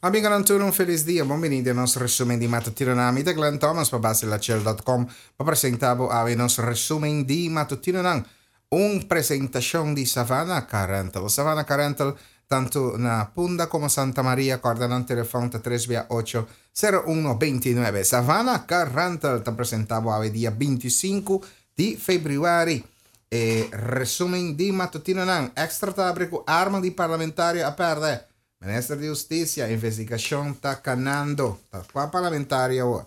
Amigonan tur un felis dia, bon bini den nos resumen di matutinonan. Mi ta Glenn Thomas pa basilachel.com pa presenta bo awe nos resumen di matutinonan. Un presentacion di Savannah Car Rental. Savannah Car Rental tanto na Punda como Santa Maria, corda nan telefon ta 3 bia 8 01 29. Savannah Car Rental ta presenta bo awe dia 25 di februari. E resumen di matutinonan. Extra ta habri cu arma di parlamentario a perde. Minister di Husticia, investigacion ta canando. Ta cua parlamentario awor?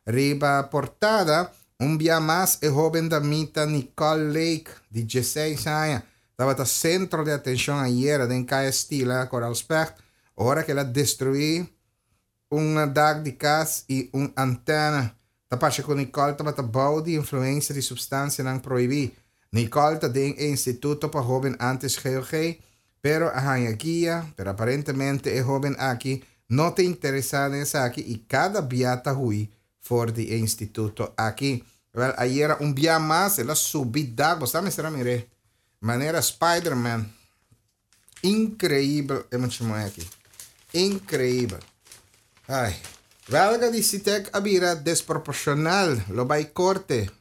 Riba portada, un bia mas e hoben damita Nicole Lake, di 16 aña, tabata centro di atencion ayera den Caya Stila, Koraal Specht, ora cu el a destrui un dak di cas y un antena. Ta parce cu Nicole tabata bou di influencia di substancianan prohibi. Nicole ta den e instituto pa hoben antes GOG, pero a haña guia, pero aparentemente e hoben aki no ta interesa den esaki y cada bia ta huy for di e instituto aki. Wel, ayera un bia mas el a subi dak, bo sa mester a mir'é, manera Spider-Man. Increíbel e mucha muhé aki. Increíbel. Ai. Welga di Sitek a bira desproporcional, lo bai corte.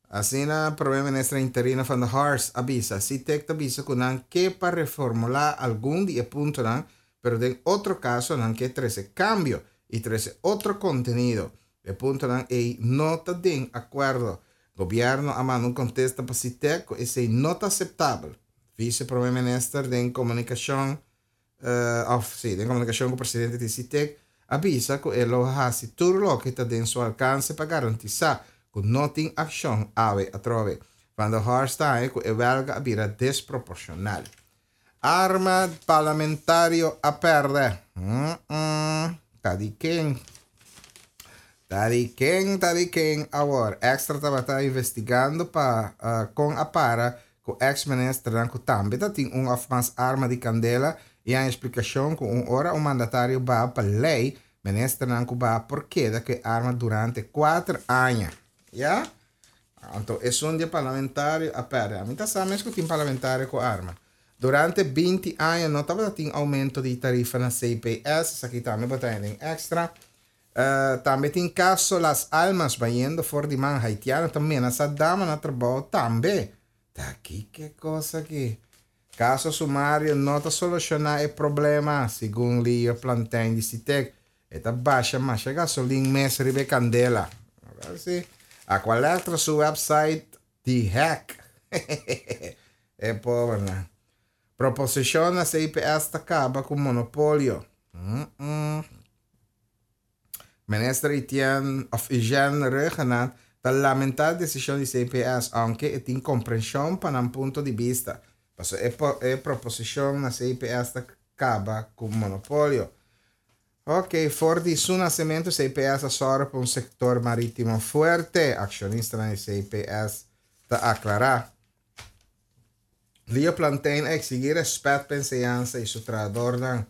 Asina Prome Minister interino Van der Horst a bisa. Sitek ta bisa cu nan ke pa reformula algun di e puntonan, pero den otro caso nan ke trece cambio y trece otro contenido. E puntonan ey no ta den acuerdo. Gobierno a manda un contesta pa Sitek cu esey no ta aceptabel. Vice Prome Minister den comunicacion of si den comunicacion cu presidente di Sitek a bisa cu e lo haci tur loke ta den su alcance pa garantisa cu no tin accion awe atrobe. Van der Horst ta haña cu e welga a bira desproporcional. Arma parlamentario a perde. Ta di ken? Ta di ken, ta di ken awor? Extra tabata investigando pa con a para cu ex ministernan cu tambe ta tin un of mas arma di candela y haña explicacion cu un ora un mandatario baha pa ley, ministernan cu baha por keda cu e arma durante cuater aña. Ya? Anto esun di e parlamentario a perde. Ami ta sa mes cu tin parlamentario cu arma. Durante binti aña no tabata tin aumento di tarifa na CPS, esaki tambe bo ta haña den extra. Tambe tin caso Las Almas bayendo for di man haitiano ta menasa dama na trabao tambe. Ta kiko cos aki? Caso sumario no ta soluciona e problema, segun Leo Plantijn di Sitek. E ta basha masha gasolin mes riba e candela. Wel si. Aqualectra su website di hack. E pobernan. Proposicion na CPS ta caba cu monopolio. Mm-mm. Minister Etienne of Eugène Rhuggenaath ta lamenta e decision di CPS, aunke e tin comprension pa nan punto di bista. Paso e e proposicion na CPS ta caba cu monopolio. Ok, for di su nacemento CPS a sòru pa un sector maritimo fuerte, accionistanan di CPS ta aclara. Leo Plantein a exigí respet pa enseñansa i su trahadornan.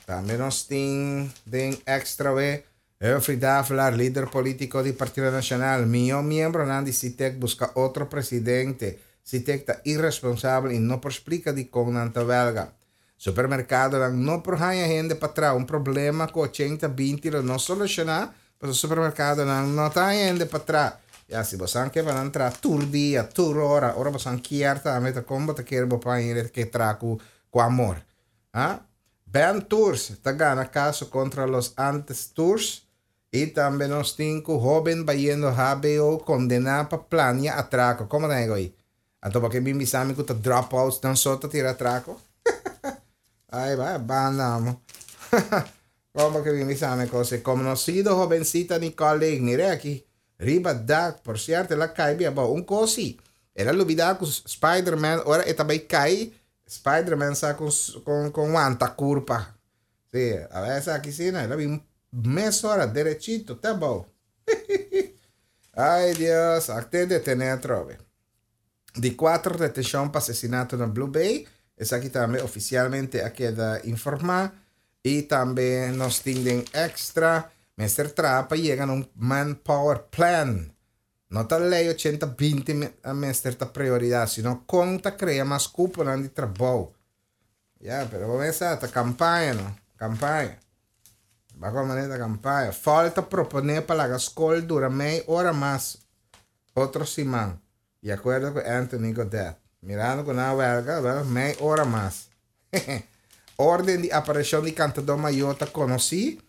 Tambe nos tin den Extra we Humphrey Davelaar, lider politico di Partido Nacional. Mihó miembronan di Sitek busca otro presidente. Sitek ta irresponsabel i no por splica dikon nan ta welga. Supermercadonan no por haña hende pa traha. Un problema cu ochenta binti lo no soluciona pasobra supermercadonan no ta haña hende pa traha. Ya, si bosan ke pa nan traha tur dia, tur ora, ora bosan kier tambe ta con bo ta kere bo por haña hende ke traha cu cu amor? Ha? Ben Tours ta gana caso contra Los Andes Tours y tambe nos tin cu hoben bayendo hbo condena pa plania atraco. Como ta ego ey? Anto bo ke bin bisa mi ku ta dropouts nan so ta tira atrako? Ay bai banda amo. Kon bo ke bin bisa mi kos ei? Konosido hobencita Nicole Lake, mira aki, riba dak, por cierto el a kai bin abou. Un kos si, el a lubida ku Spiderman ora e ta bai kai, Spiderman sa kon kon kon wanta kurpa. Si, a wes aki si no, el a bin mesora derechito te abou. Ay Dios, akte detene atrobe. Di cuatro detencion pa asesinato na Blue Bay, esaki tambe oficialmente a keda informa y tambe nos tin den extra mester traha pa yega na un manpower plan. No ta ley ochenta binti mester ta prioridad, sino con ta crea mas cuponan di trabou. Ya, pero bo mester ta campaña no, campaña. Bako manera kampaña. Falta proponé pa laga skol dura mei ora mas otro siman. Di akuerdo ku Anthony Godett. Mirando ku nan a wèlga, wèl, mei ora mas. Orden di apareshon di kantadó mayó ta konosí.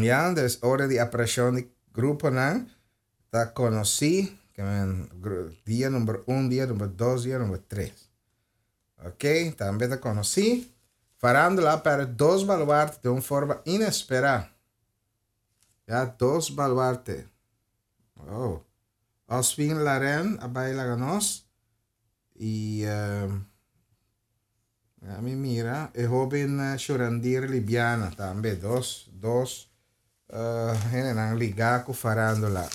Ya, dus orden di apareshon di gruponan ta konosí. Ke men, dia number un, dia number dos, dia number tres. Ok, tambe ta konosí. Farándula a pèrdè dos baluarte den un forma inesperá. Ya, dos baluarte. Oh. Oswin Laren a bai laga nos. I uh, mi mira, e hoben Shurandir Libiana tambe, dos, dos uh, hendenan ligá ku farándula.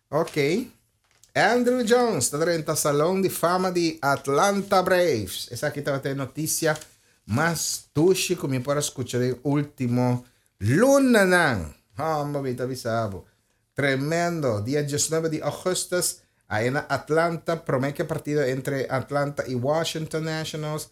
Ok. Andruw Jones ta drenta Salon di Fama di Atlanta Braves. Esaki tabata e notisia mas dushi ku mi por a skucha den último lunanan. Homber, mi ta bisa bo. Tremendo! Dia diesnuebe di augustus, aya na Atlanta, promé ku e partido entre Atlanta i Washington Nationals,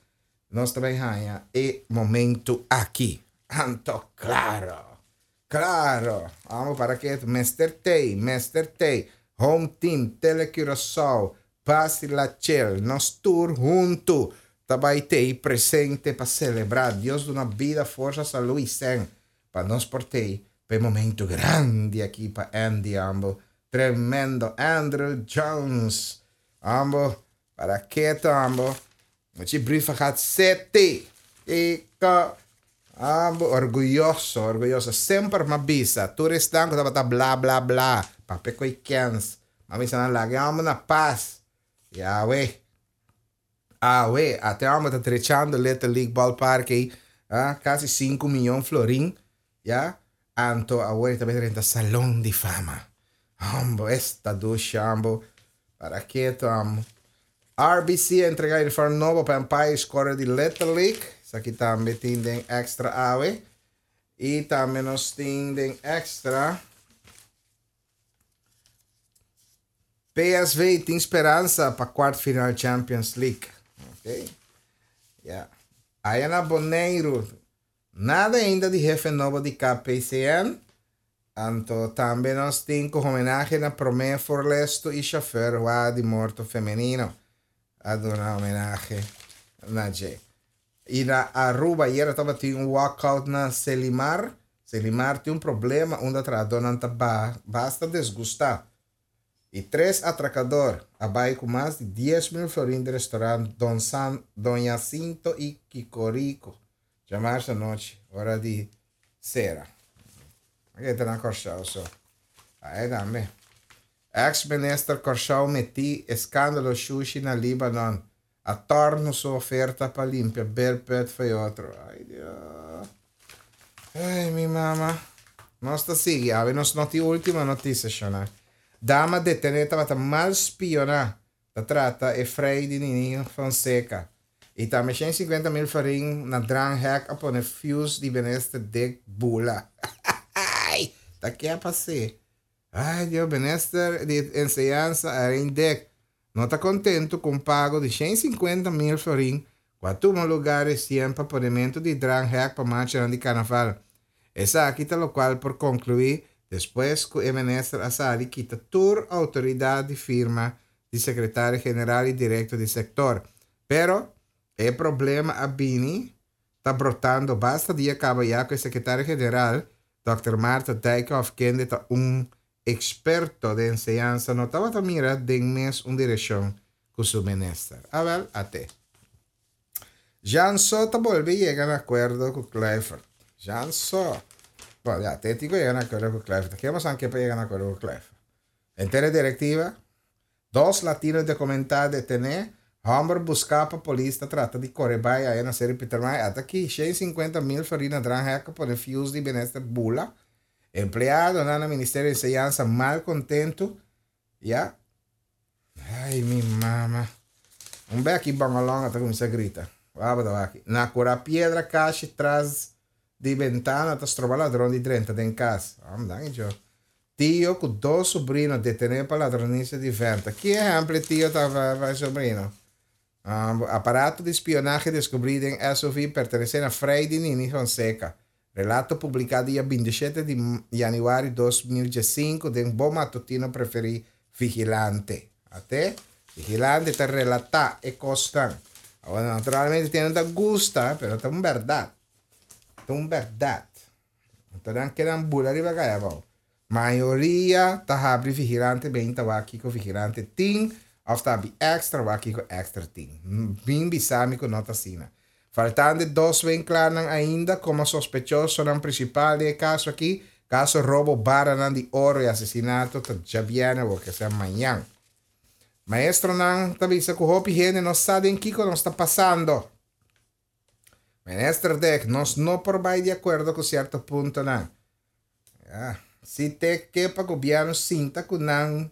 nos ta bai haña e momentu aki. Anto klaro! Klaro! Amo para ke mester tei, mester tei. Home Team, Tele Curaçao, Pasi La Chel, nos tur huntu ta bai tei presente pa selebrá. Dios duna bida, forsa, salú i sèn pa nos por tei pa e momento grandi aki pa Andy ambo. Tremendo Andruw Jones ambo para keto ambo. Muchi Brievengat City. Kiko ambo orguyoso orguyoso semper m'a bisa tur esnan ku tabata bla bla bla papia ku e kens m'a bisa nan laga e homber na pas. Yahweh. Awe, ate homber ta drechando Little League Ballpark ei, ah, casi sinku miyon florin, ya. Anto awor e ta bai drenta Salon di Fama. Hombo, esta dushi, hombo. Para keto, hombo. RBC a entrega uniform nobo pa Empire Squadron di Little League. Esaki tambe tin den extra awe. Y tambe nos tin den extra. PSV tin speransa pa kwart final Champions League. Ok. Ya. Aya na Boneiru. Nada ainda di hefe nobo di KPCN. Anto tambe nos tin ku homenahe na promé forlesto i shofèr wa di morto femenino. A duna homenahe na dje. I na Aruba ayera tabatin un walkout na Selimar. Selimar tin un problema unda trahadónan ta basta desgustá. I tres atrakador a bai ku mas di 10,000 florin di restaurant Don San, Don Jacinto i Kikorico djamarsa anochi ora di sera. Aki ta na Kòrsou so. Ai tambe. Ex minister Kòrsou metí eskandalo shushi na Libanon. A torno su oferta pa limpia beerput fo'i otro. Ai Dios. Ai mi mama. Nos ta sigui. Awe nos no tin ultimo noticia shona. Dama detene tabata mal spiona. Ta trata e frei di Nini Fonseca. Y tambe 150 mil florin na dranghek a pone fuse di minister Dick bula. Ai! Ta ke a pas'é? Ai Dios, minister di enseñansa Arend Dick no ta kontentu ku un pago di 150 mil florin ku a tuma lugá resien pa ponementu di dranghek pa marchanan di karnaval. Esaki ta lokual por konkluí despues ku e minister a sali kita tur outoridat di firma di sekretario general i direktor di sektor. Pero e problema a bini ta brotando basta dia kaba ya ku e sekretario general, Dòkter Martha Dijkhoff kende ta un Experto den enseñansa no tabata mira den mes un direccion cu su minister. Awel, ate. Jean So ta bolbe yega na acuerdo cu Kluivert. Jean So. Bon, ya, te tin cu yega na acuerdo cu Kluivert. Ke bosan ke pa yega na acuerdo cu Kluivert? Henter e directiva, dos latino documenta detene, homber busca pa polis ta trata di core bay aya na Seri Pietermaai. Ata aki, 150 mil florin na dranghek a pone fuse di minister bula. Empleadonan na Ministerio di Enseñansa mal kontentu, ya. Ay, mi mama. Un bek i bongolonga ta kuminsá grita. Waba ta wak. Na kura piedra kashi tras di bentana ta stroba ladron di drenta den kas. Am dan i jo. Tio ku dos sobrino detené pa ladronisia di venta. Ki ehèmpel e tio ta pa e sobrino? Aparato di spionahe deskubrí den SUV pertenesé na Freidy Nini Fonseca. Relato publiká dia 27 di yanüari 2015 den bo matutino preferí Vigilante. Ate, Vigilante ta relatá e kosnan. Awor, naturalmente tin nan ta gusta, pero ta un bèrdat. Ta un bèrdat. Anto nan kedan bula riba kaya abou. Mayoria ta habri Vigilante bin ta wak kiko Vigilante tin òf ta habri Extra wak kiko Extra tin. Bin bisa mi ku no ta asina. Faltando e dos winklaarnan ainda komo sospechosonan prinsipal den e kaso aki, kaso robo baranan di oro i asesinato ta djabièrnè awor ke sea mañan. Maestronan ta bisa ku hopi hende no sa den kiko nos ta pasando. Minister Dek, nos no por bai di akuerdo ku sierto puntonan. Ya, si te ke pa gobièrnu sinta ku nan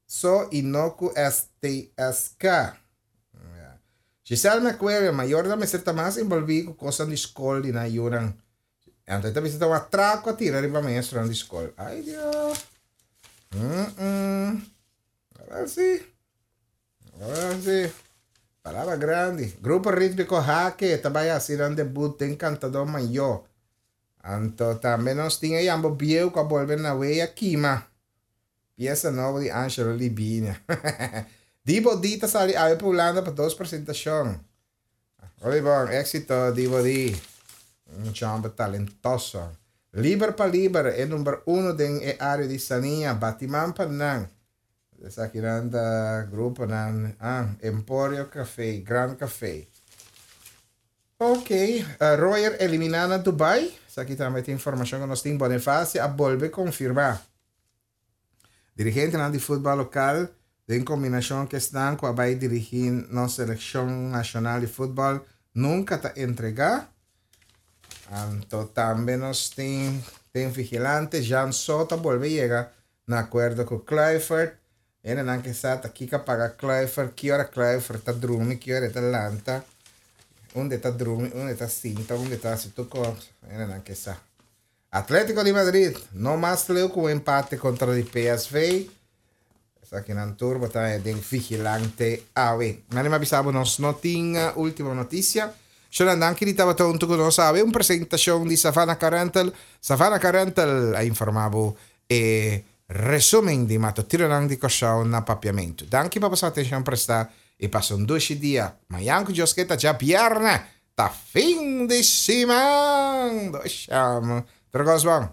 so i no ku STSK. Ya. Giselle McWilliam, mayornan mester ta mas envolví ku kosnan di skol di nan yunan. Anto e ta bisa ta un atrako a tira riba maestronan di skol. Ai Dios. Mm-mm. Awel si. Awel si. Palabra grandi. Grupo Rítmiko Hake ta bai hasi nan debut den Kantadó Mayó. Anto tambe nos tin e yambo bieu ku a bolbe na wea kima. Piesa nobo di Angelo Libinia. Dibo D ta sali awe pa Hulanda pa dos presentashon. Hopi bon, éxito Dibo D. Un chomber talentoso. Liber pa liber, e number uno den e área di Sania. Bati man pa nan. Esakinan ta gruponan, ah, Emporio Café, Grand Café. Ok, Royer eliminá na Dubai. Esaki tambe ta informashon ku nos tin. Bonifacio a bolbe konfirmá. Dirigentenan di futbal lokal den kombinashon ku esnan ku a bai dirigí nos selekshon nashonal di futbal nunka ta entregá. Anto tambe nos tin den vigilante Jean Soto a bolbe yega na akuerdo ku Kluivert. Hendenan ke sa ta kiko a paga Kluivert, ki ora Kluivert ta drumi, ki ora e ta lanta, unda e ta drumi, unda e ta sinta, unda e ta hasi tur kos. Hendenan ke sa. Atletico di Madrid no mas leu cu un empate contra di PSV. Esakinan tur bo ta haña den Vigilante awe. Mane m'a bisa bo nos no tin ultimo noticia. Shonan danki di tabata hunto cu nos awe. Un presentacion di Savannah Car Rental. Savannah Car Rental a informa bo e resumen di matutinonan di Kòrsou na Papiamentu. Danki pa boso atencion presta y pasa un dushi dia. Mañan cu Dios ke ta djabièrnè. Ta fin di siman! Dosham! Tur kos bon?